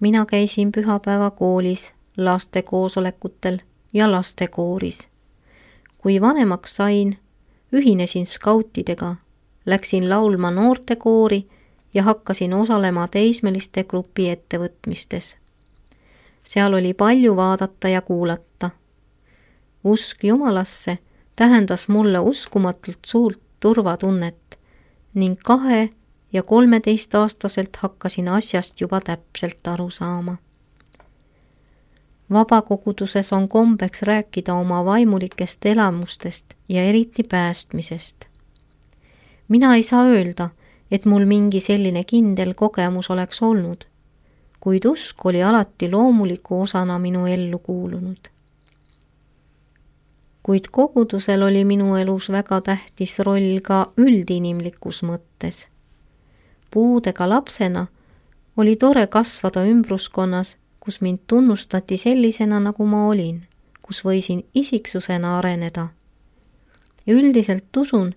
Mina käisin pühapäeva koolis, laste koosolekutel ja lastekooris. Kui vanemaks sain, ühinesin skautidega, läksin laulma noortekoori ja hakkasin osalema teismeliste grupi ettevõtmistes. Seal oli palju vaadata ja kuulata. Usk Jumalasse tähendas mulle uskumatult suurt turvatunnet ning 2- ja 13-aastaselt hakkasin asjast juba täpselt aru saama. Vabakoguduses on kombeks rääkida oma vaimulikest elamustest ja eriti päästmisest. Mina ei saa öelda, et mul mingi selline kindel kogemus oleks olnud, kuid usk oli alati loomuliku osana minu ellu kuulunud. Kuid kogudusel oli minu elus väga tähtis roll ka üldinimlikus mõttes. Puudega lapsena oli tore kasvada ümbruskonnas, kus mind tunnustati sellisena, nagu ma olin, kus võisin isiksusena areneda. Üldiselt usun,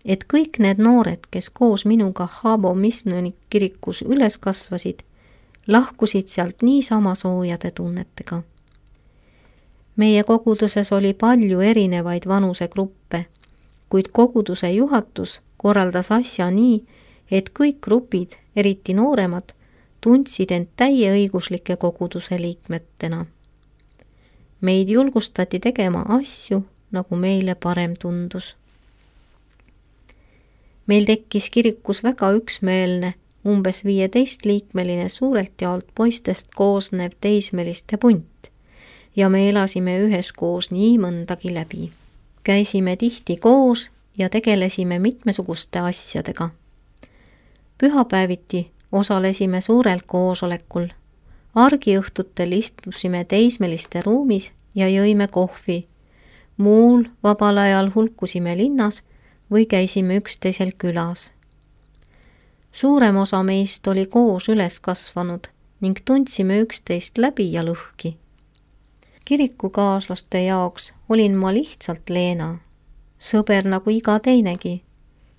et kõik need noored, kes koos minuga Habo Misnoni kirikus üles kasvasid, lahkusid sealt niisama soojade tunnetega. Meie koguduses oli palju erinevaid vanusegruppe, kuid koguduse juhatus korraldas asja nii, et kõik grupid, eriti nooremad, tundsid end täieõiguslike koguduse liikmetena. Meid julgustati tegema asju, nagu meile parem tundus. Meil tekkis kirikus väga üksmeelne, umbes 15-liikmeline suurelt jaolt poistest koosnev teismeliste punt ja me elasime üheskoos nii mõndagi läbi. Käisime tihti koos ja tegelesime mitmesuguste asjadega. Pühapäeviti osalesime suurel koosolekul. Argiõhtutel istusime teismeliste ruumis ja jõime kohvi. Muul vabal ajal hulkusime linnas või käisime üksteisel külas. Suurem osa meist oli koos üles kasvanud ning tundsime üksteist läbi ja lõhki. Kirikukaaslaste jaoks olin ma lihtsalt Leena, sõber nagu iga teinegi.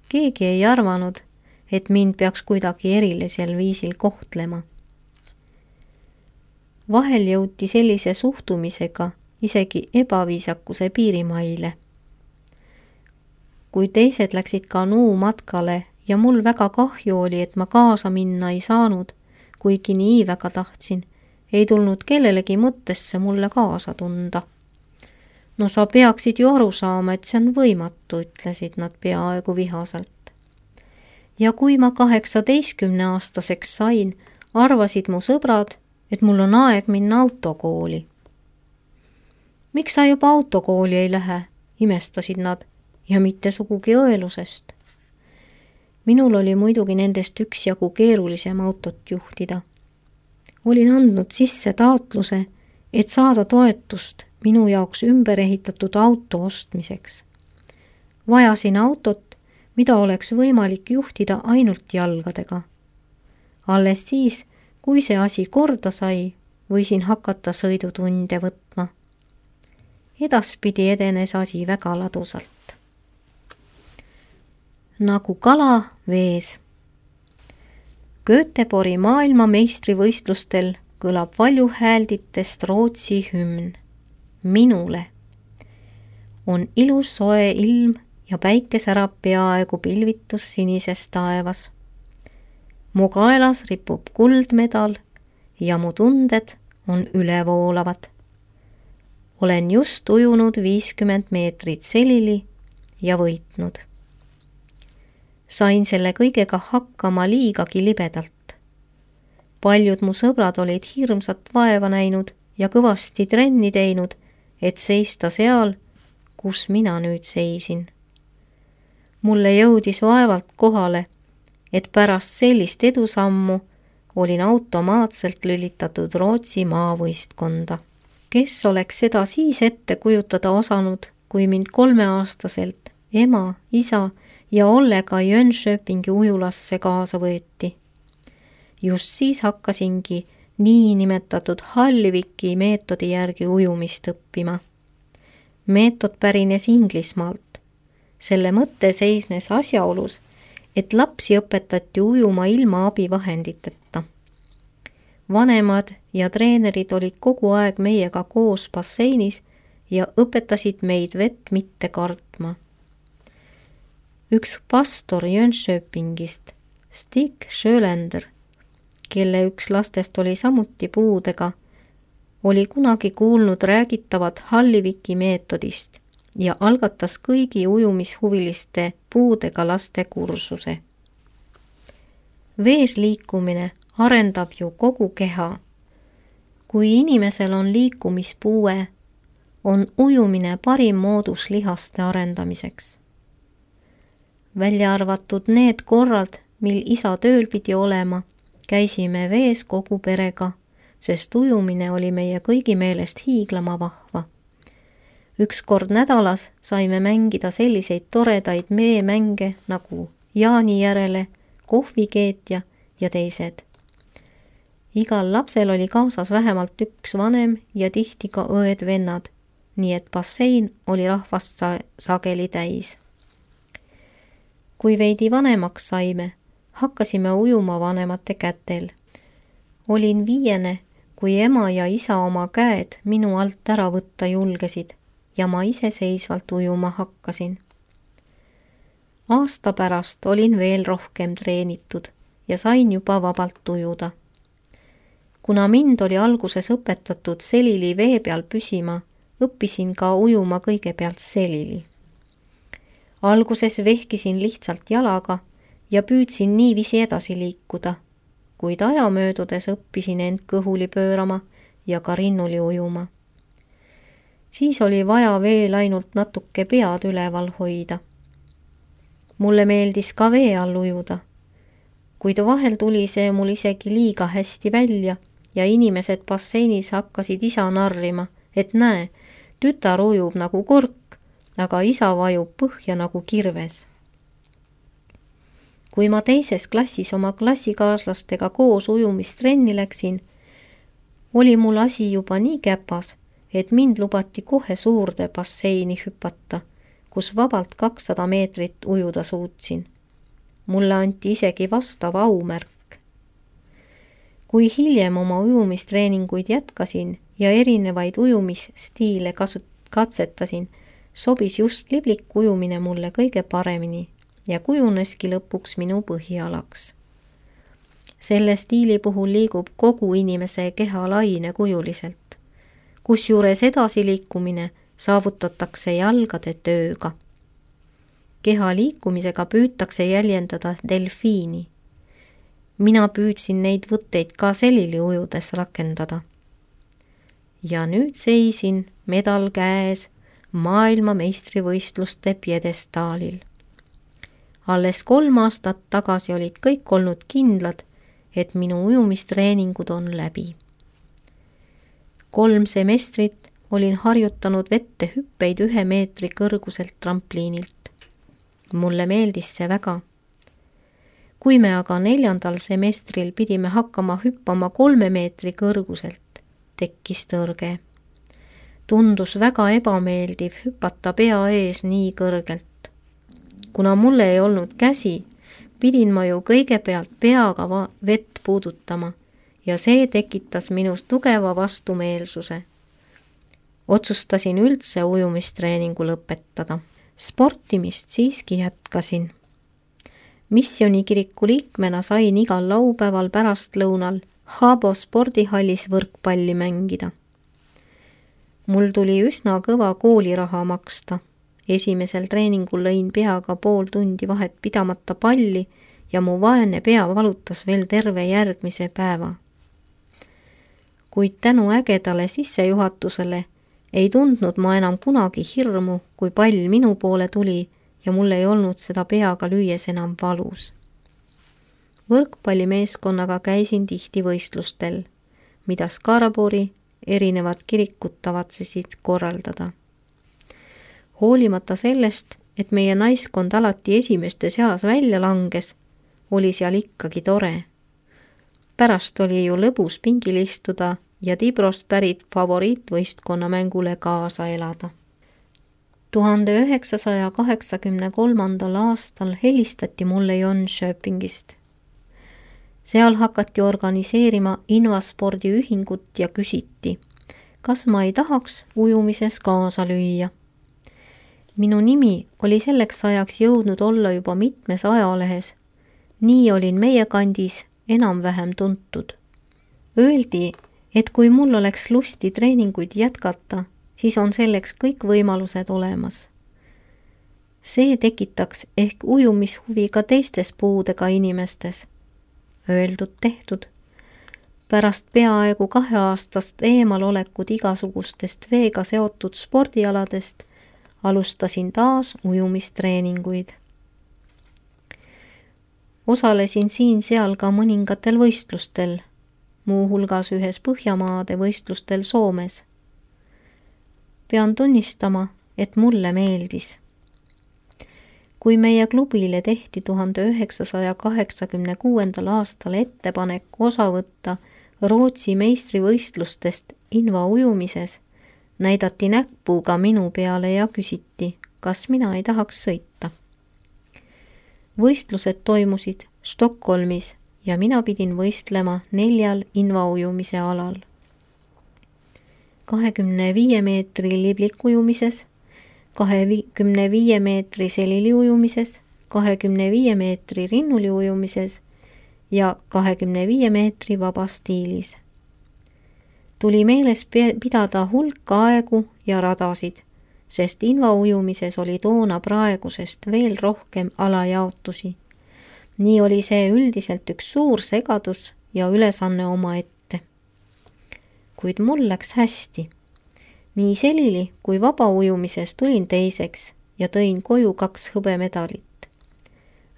Keegi ei arvanud, et mind peaks kuidagi erilisel viisil kohtlema. Vahel jõuti sellise suhtumisega isegi ebaviisakuse piirimaile. Kui teised läksid kanuu matkale ja mul väga kahju oli, et ma kaasa minna ei saanud, kuigi nii väga tahtsin, ei tulnud kellelegi mõttesse mulle kaasa tunda. No sa peaksid ju aru saama, et see on võimatu, ütlesid nad peaaegu vihaselt. Ja kui ma 18-aastaseks sain, arvasid mu sõbrad, et mul on aeg minna autokooli. Miks sa juba autokooli ei lähe, imestasid nad, ja mitte sugugi õelusest. Minul oli muidugi nendest üksjagu keerulisem autot juhtida. Olin andnud sisse taotluse, et saada toetust minu jaoks ümber ehitatud auto ostmiseks. Vajasin autot, mida oleks võimalik juhtida ainult jalgadega. Alles siis, kui see asi korda sai, võisin hakata sõidutunde võtma. Edaspidi edenes asi väga ladusalt. Nagu kala vees. Göteborgi maailmameistrivõistlustel kõlab valjuhäälditest Rootsi hümn. Minule. On ilus soe ilm ja päike särab peaaegu pilvitus sinises taevas. Mu kaelas ripub kuldmedal ja mu tunded on ülevoolavad. Olen just ujunud 50 meetrit selili ja võitnud. Sain selle kõigega hakkama liigagi libedalt. Paljud mu sõbrad olid hirmsat vaeva näinud ja kõvasti trenni teinud, et seista seal, kus mina nüüd seisin. Mulle jõudis vaevalt kohale, et pärast sellist edusammu olin automaatselt lülitatud Rootsi maavõistkonda. Kes oleks seda siis ette kujutada osanud, kui mind 3-aastaselt ema, isa ja Ollega Jönköpingi ujulasse kaasa võeti. Just siis hakkasingi niinimetatud Hallviki meetodi järgi ujumist õppima. Meetod pärines Inglismaalt. Selle mõte seisnes asjaolus, et lapsi õpetati ujuma ilma abivahenditeta. Vanemad ja treenerid olid kogu aeg meiega koos basseinis ja õpetasid meid vett mitte kartma. Üks pastor Jönköpingist, Stig Schölender, kelle üks lastest oli samuti puudega, oli kunagi kuulnud räägitavat Halliviki meetodist ja algatas kõigi ujumishuviliste puudega laste kursuse. Vees liikumine arendab ju kogu keha. Kui inimesel on liikumispuue, on ujumine parim moodus lihaste arendamiseks. Välja arvatud need korrad, mil isa tööl pidi olema, käisime vees kogu perega, sest ujumine oli meie kõigi meelest hiiglama vahva. Üks kord nädalas saime mängida selliseid toredaid meemänge nagu Jaani järele, kohvikeetja ja teised. Igal lapsel oli kaasas vähemalt üks vanem ja tihti ka õed-vennad, nii et bassein oli rahvast sageli täis. Kui veidi vanemaks saime, hakkasime ujuma vanemate kätel. Olin 5, kui ema ja isa oma käed minu alt ära võtta julgesid ja ma iseseisvalt ujuma hakkasin. Aasta pärast olin veel rohkem treenitud ja sain juba vabalt ujuda. Kuna mind oli alguses õpetatud selili vee peal püsima, õppisin ka ujuma kõigepealt selili. Alguses vehkisin lihtsalt jalaga ja püüdsin niiviisi edasi liikuda, kuid aja möödudes õppisin end kõhuli pöörama ja ka rinnuli ujuma. Siis oli vaja veel ainult natuke pead üleval hoida. Mulle meeldis ka vee all ujuda, kuid vahel tuli see mul isegi liiga hästi välja ja inimesed basseinis hakkasid isa narrima, et näe, tütar ujub nagu kork, aga isa vajub põhja nagu kirves. Kui ma 2. klassis oma klassikaaslastega koos ujumistrenni läksin, oli mul asi juba nii käpas, et mind lubati kohe suurde basseini hüpata, kus vabalt 200 meetrit ujuda suutsin. Mulle anti isegi vastav aumärk. Kui hiljem oma ujumistreeninguid jätkasin ja erinevaid ujumisstiile katsetasin, sobis just liblik ujumine mulle kõige paremini ja kujuneski lõpuks minu põhialaks. Selle stiili puhul liigub kogu inimese keha lainekujuliselt, kusjuures edasiliikumine saavutatakse jalgade tööga. Keha liikumisega püütakse jäljendada delfiini. Mina püüdsin neid võtteid ka selili ujudes rakendada. Ja nüüd seisin medal käes maailmameistrivõistluste pjedestaalil. Alles 3 aastat tagasi olid kõik olnud kindlad, et minu ujumistreeningud on läbi. 3 semestrit olin harjutanud vette hüppeid 1 meetri kõrguselt trampliinilt. Mulle meeldis see väga. Kui me aga 4. semestril pidime hakkama hüppama 3 meetri kõrguselt, tekkis tõrge. Tundus väga ebameeldiv hüpata pea ees nii kõrgelt. Kuna mulle ei olnud käsi, pidin ma ju kõigepealt peaga vett puudutama ja see tekitas minus tugeva vastumeelsuse. Otsustasin üldse ujumistreeningu lõpetada. Sportimist siiski jätkasin. Missionikiriku liikmena sain igal laupäeval pärastlõunal Haabo spordihallis võrkpalli mängida. Mul tuli üsna kõva kooliraha maksta. Esimesel treeningul lõin peaga pool tundi vahet pidamata palli ja mu vaene pea valutas veel terve järgmise päeva. Kuid tänu ägedale sissejuhatusele ei tundnud ma enam kunagi hirmu, kui pall minu poole tuli ja mul ei olnud seda peaga lüües enam valus. Võrkpallimeeskonnaga käisin tihti võistlustel, mida Skarabori erinevad kirikud tavatsesid korraldada. Hoolimata sellest, et meie naiskond alati esimeste seas välja langes, oli seal ikkagi tore. Pärast oli ju lõbus pingil istuda ja Tibrost pärit favoriitvõistkonna mängule kaasa elada. 1983. aastal helistati mulle Jönköpingist. Seal hakati organiseerima Invaspordiühingut ja küsiti, kas ma ei tahaks ujumises kaasa lüüa. Minu nimi oli selleks ajaks jõudnud olla juba mitmes ajalehes. Nii olin meie kandis enam-vähem tuntud. Öeldi, et kui mul oleks lusti treeninguid jätkata, siis on selleks kõik võimalused olemas. See tekitaks ehk ujumishuvi ka teistes puudega inimestes. Öeldud tehtud. Pärast peaaegu 2 aastast eemalolekut igasugustest veega seotud spordialadest alustasin taas ujumistreeninguid. Osalesin siin-seal ka mõningatel võistlustel, muuhulgas ühes Põhjamaade võistlustel Soomes. Pean tunnistama, et mulle meeldis. Kui meie klubile tehti 1986. aastal ettepanek osa võtta Rootsi meistrivõistlustest invaujumises, näidati näpuga minu peale ja küsiti, kas mina ei tahaks sõita. Võistlused toimusid Stockholmis ja mina pidin võistlema 4 invaujumise alal. 25 meetri liblikujumises, 25 meetri seliliujumises, 25 meetri rinnuliujumises ja 25 meetri vabastiilis. Tuli meeles pidada hulk aegu ja radasid, sest invaujumises oli toona praegusest veel rohkem alajaotusi. Nii oli see üldiselt üks suur segadus ja ülesanne omaette. Kuid mul läks hästi. Nii selili kui vabaujumises tulin teiseks ja tõin koju 2 hõbemedalit.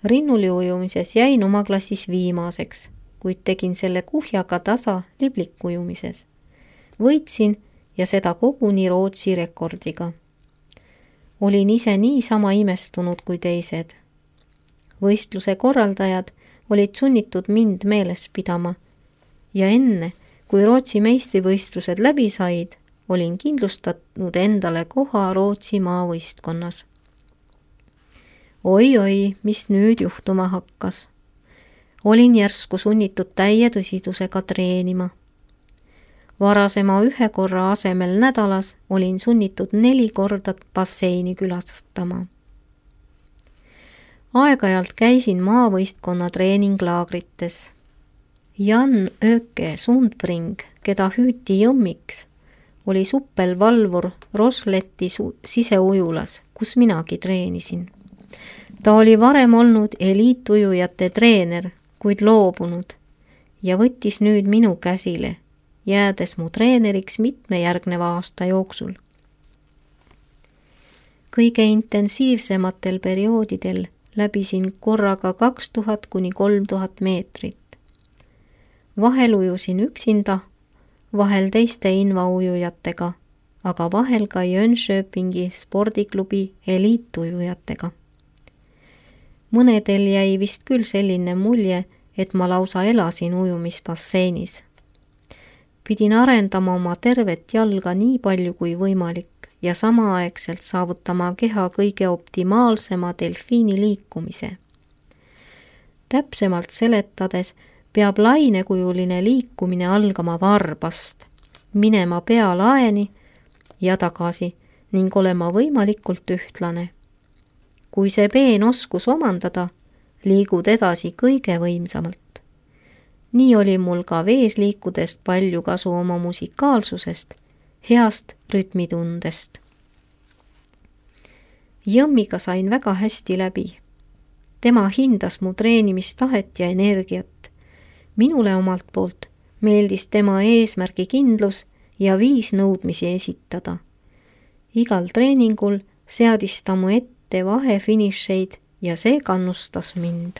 Rinnuliujumises jäin oma klassis viimaseks, kuid tegin selle kuhjaga tasa liblikujumises. Võitsin ja seda koguni Rootsi rekordiga. Olin ise niisama imestunud kui teised. Võistluse korraldajad olid sunnitud mind meeles pidama ja enne, kui Rootsi meistrivõistlused läbi said, olin kindlustatud endale koha Rootsi maavõistkonnas. Oi, mis nüüd juhtuma hakkas. Olin järsku sunnitud täie tõsidusega treenima. Varasema 1 korra asemel nädalas olin sunnitud 4 korda basseini külastama. Aeg-ajalt käisin maavõistkonna treeninglaagrites. Jan Öke Sundbring, keda hüüti Jõmmiks, oli suppelvalvur Rosletti siseujulas, kus minagi treenisin. Ta oli varem olnud eliitujujate treener, kuid loobunud ja võttis nüüd minu käsile, jäädes mu treeneriks mitme järgneva aasta jooksul. Kõige intensiivsematel perioodidel läbisin korraga 2000 kuni 3000 meetrit. Vahel ujusin üksinda, vahel teiste invaujujatega, aga vahel ka Jönköpingi spordiklubi eliitujujatega. Mõnedel jäi vist küll selline mulje, et ma lausa elasin ujumisbasseinis. Pidin arendama oma tervet jalga nii palju kui võimalik ja samaaegselt saavutama keha kõige optimaalsema delfiini liikumise. Täpsemalt seletades peab lainekujuline liikumine algama varbast, minema pealaeni ja tagasi ning olema võimalikult ühtlane. Kui see peen oskus omandada, liigud edasi kõige võimsamalt. Nii oli mul ka vees liikudest palju kasu oma musikaalsusest, heast rütmitundest. Jõmmiga sain väga hästi läbi. Tema hindas mu treenimistahet ja energiat. Minule omalt poolt meeldis tema eesmärgi kindlus ja viis nõudmisi esitada. Igal treeningul seadis ta mu ette vahefinišeid ja see kannustas mind.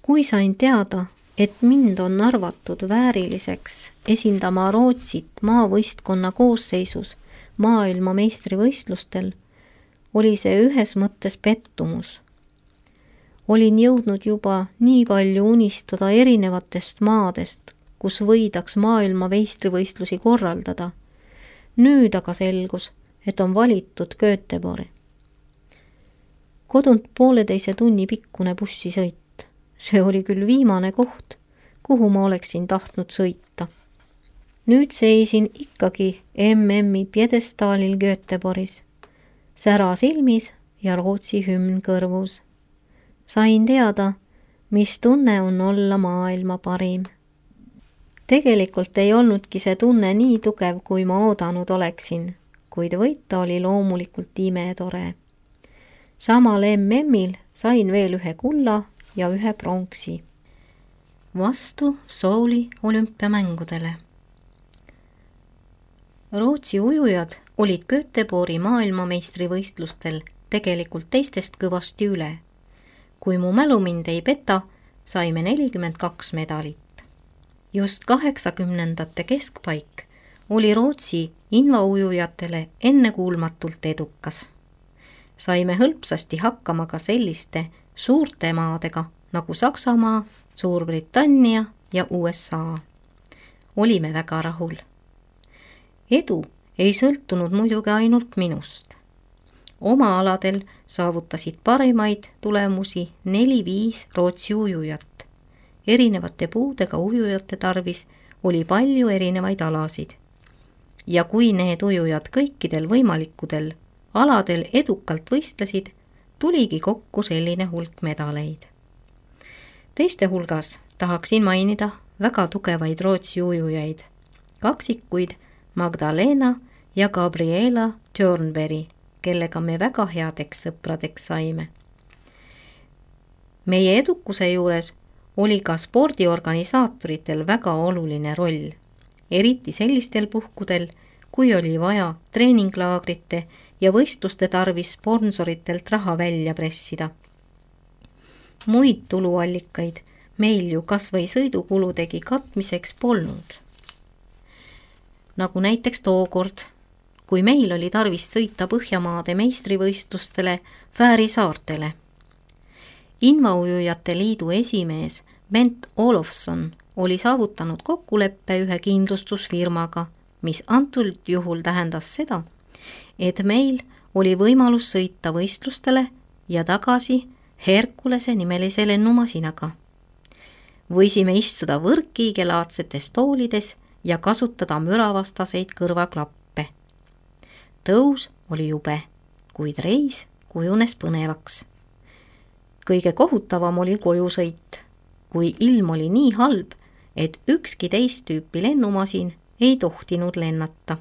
Kui sain teada, et mind on arvatud vääriliseks esindama Rootsit maavõistkonna koosseisus maailma meistrivõistlustel, oli see ühes mõttes pettumus. Olin jõudnud juba nii palju unistada erinevatest maadest, kus võidaks maailma meistrivõistlusi korraldada. Nüüd aga selgus, et on valitud Göteborg. Kodunt 1,5 tunni pikkune bussisõit. See oli küll viimane koht, kuhu ma oleksin tahtnud sõita. Nüüd seisin ikkagi MM-i pjedestaalil Göteborgis, sära silmis ja Rootsi hümn kõrvus. Sain teada, mis tunne on olla maailma parim. Tegelikult ei olnudki see tunne nii tugev, kui ma oodanud oleksin, kuid võita oli loomulikult imetore. Samal MM-il sain veel ühe kulla ja ühe pronksi. Vastu Souli olümpiamängudele. Rootsi ujujad olid Göteborgi maailmameistrivõistlustel tegelikult teistest kõvasti üle. Kui mu mälu mind ei peta, saime 42 medalit. Just 80ndate keskpaik oli Rootsi invaujujatele ennekuulmatult edukas. Saime hõlpsasti hakkama ka selliste suurte maadega nagu Saksamaa, Suurbritannia ja USA. Olime väga rahul. Edu ei sõltunud muidugi ainult minust. Oma aladel saavutasid parimaid tulemusi 4-5 Rootsi ujujat. Erinevate puudega ujujate tarvis oli palju erinevaid alasid. Ja kui need ujujad kõikidel võimalikudel aladel edukalt võistlesid, tuligi kokku selline hulk medaleid. Teiste hulgas tahaksin mainida väga tugevaid Rootsi ujujaid, kaksikuid Magdalena ja Gabriela Tjörnberg, kellega me väga headeks sõpradeks saime. Meie edukuse juures oli ka spordiorganisaatoritel väga oluline roll, eriti sellistel puhkudel, kui oli vaja treeninglaagrite ja võistluste tarvis sponsoritelt raha välja pressida. Muid tuluallikaid meil ju kas või sõidukuludegi katmiseks polnud. Nagu näiteks tookord, kui meil oli tarvis sõita Põhjamaade meistrivõistlustele Fääri saartele. Invaujujate liidu esimees Bent Olofsson oli saavutanud kokkuleppe ühe kindlustusfirmaga, mis antud juhul tähendas seda, et meil oli võimalus sõita võistlustele ja tagasi Herkulese nimelise lennumasinaga. Võisime istuda võrkkiigelaadsetes toolides ja kasutada müravastaseid kõrvaklappe. Tõus oli jube, kuid reis kujunes põnevaks. Kõige kohutavam oli kojusõit, kui ilm oli nii halb, et ükski teist tüüpi lennumasin ei tohtinud lennata.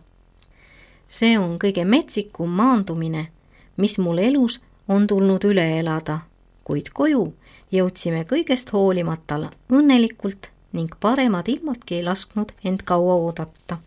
See on kõige metsikum maandumine, mis mul elus on tulnud üle elada, kuid koju jõudsime kõigest hoolimata õnnelikult ning paremad ilmadki ei lasknud end kaua oodata.